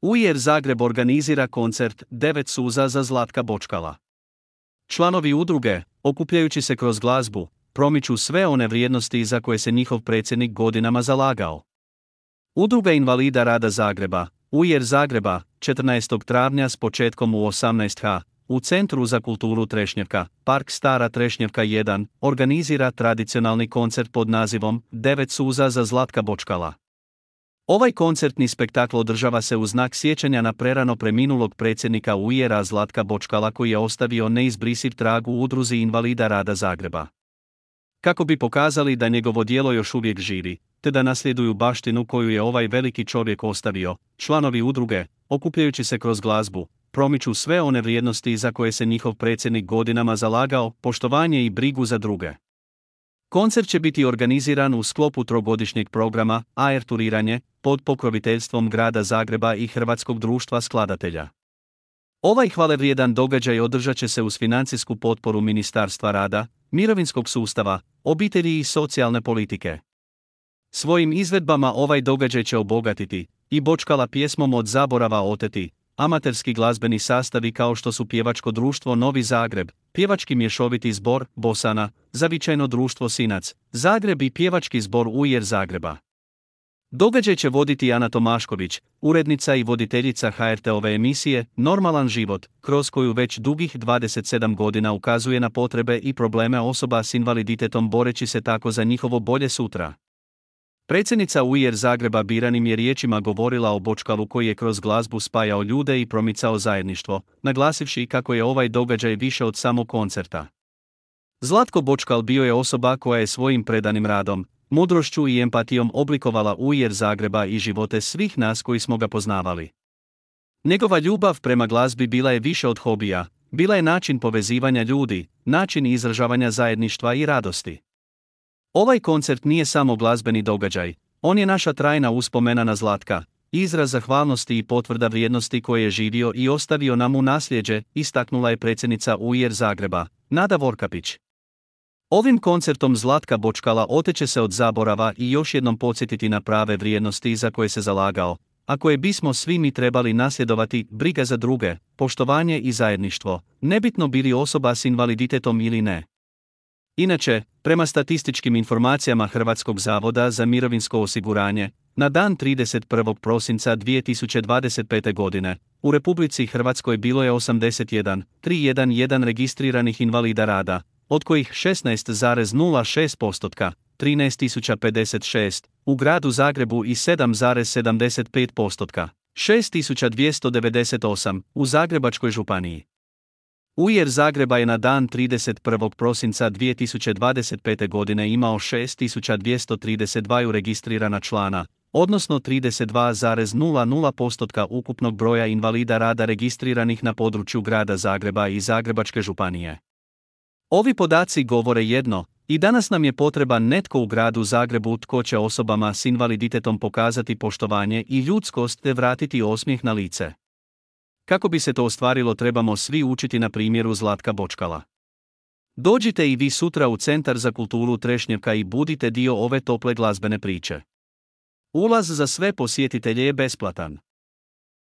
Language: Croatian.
UIR Zagreb organizira koncert 9 suza za Zlatka Bočkala. Članovi udruge, okupljajući se kroz glazbu, promiču sve one vrijednosti za koje se njihov predsjednik godinama zalagao. Udruga invalida rada Zagreba, UIR Zagreba, 14. travnja s početkom u 18h, u Centru za kulturu Trešnjevka, Park Stara Trešnjevka 1, organizira tradicionalni koncert pod nazivom 9 suza za Zlatka Bočkala. Ovaj koncertni spektakl održava se u znak sjećanja na prerano preminulog predsjednika UIR-a Zlatka Bočkala koji je ostavio neizbrisiv trag u udruzi invalida rada Zagreba. Kako bi pokazali da njegovo djelo još uvijek živi, te da nasljeduju baštinu koju je ovaj veliki čovjek ostavio, članovi udruge, okupljajući se kroz glazbu, promiču sve one vrijednosti za koje se njihov predsjednik godinama zalagao, poštovanje i brigu za druge. Koncert će biti organiziran u sklopu trogodišnjeg programa AR Turiranje pod pokroviteljstvom Grada Zagreba i Hrvatskog društva skladatelja. Ovaj hvalevrijedan događaj održat će se uz financijsku potporu Ministarstva rada, mirovinskog sustava, obitelji i socijalne politike. Svojim izvedbama ovaj događaj će obogatiti i Bočkala pjesmom Od zaborava oteti, amaterski glazbeni sastavi kao što su Pjevačko društvo Novi Zagreb, Pjevački mješoviti zbor Bosana, Zavičajno društvo Sinac, Zagreb i Pjevački zbor UIR Zagreba. Događaj će voditi Ana Tomašković, urednica i voditeljica HRT-ove emisije Normalan život, kroz koju već dugih 27 godina ukazuje na potrebe i probleme osoba s invaliditetom boreći se tako za njihovo bolje sutra. Predsjednica UIR Zagreba biranim je riječima govorila o Bočkalu koji je kroz glazbu spajao ljude i promicao zajedništvo, naglasivši kako je ovaj događaj više od samog koncerta. Zlatko Bočkal bio je osoba koja je svojim predanim radom, mudrošću i empatijom oblikovala UIR Zagreba i živote svih nas koji smo ga poznavali. Njegova ljubav prema glazbi bila je više od hobija, bila je način povezivanja ljudi, način izražavanja zajedništva i radosti. Ovaj koncert nije samo glazbeni događaj, on je naša trajna uspomena na Zlatka, izraz zahvalnosti i potvrda vrijednosti koje je živio i ostavio nam u nasljeđe, istaknula je predsjednica UIR Zagreba, Nada Vorkapić. Ovim koncertom Zlatka Bočkala oteće se od zaborava i još jednom podsjetiti na prave vrijednosti za koje se zalagao, a koje bismo svi mi trebali nasljedovati: briga za druge, poštovanje i zajedništvo, nebitno bili osoba s invaliditetom ili ne. Inače, prema statističkim informacijama Hrvatskog zavoda za mirovinsko osiguranje, na dan 31. prosinca 2025. godine, u Republici Hrvatskoj bilo je 81,311 registriranih invalida rada, od kojih 16,06%, 13.056, u gradu Zagrebu i 7,75%, 6.298, u Zagrebačkoj županiji. UIR Zagreba je na dan 31. prosinca 2025. godine imao 6.232 registrirana člana, odnosno 32,00% ukupnog broja invalida rada registriranih na području Grada Zagreba i Zagrebačke županije. Ovi podaci govore jedno: i danas nam je potreban netko u Gradu Zagrebu tko će osobama s invaliditetom pokazati poštovanje i ljudskost te vratiti osmijeh na lice. Kako bi se to ostvarilo, trebamo svi učiti na primjeru Zlatka Bočkala. Dođite i vi sutra u Centar za kulturu Trešnjevka i budite dio ove tople glazbene priče. Ulaz za sve posjetitelje je besplatan.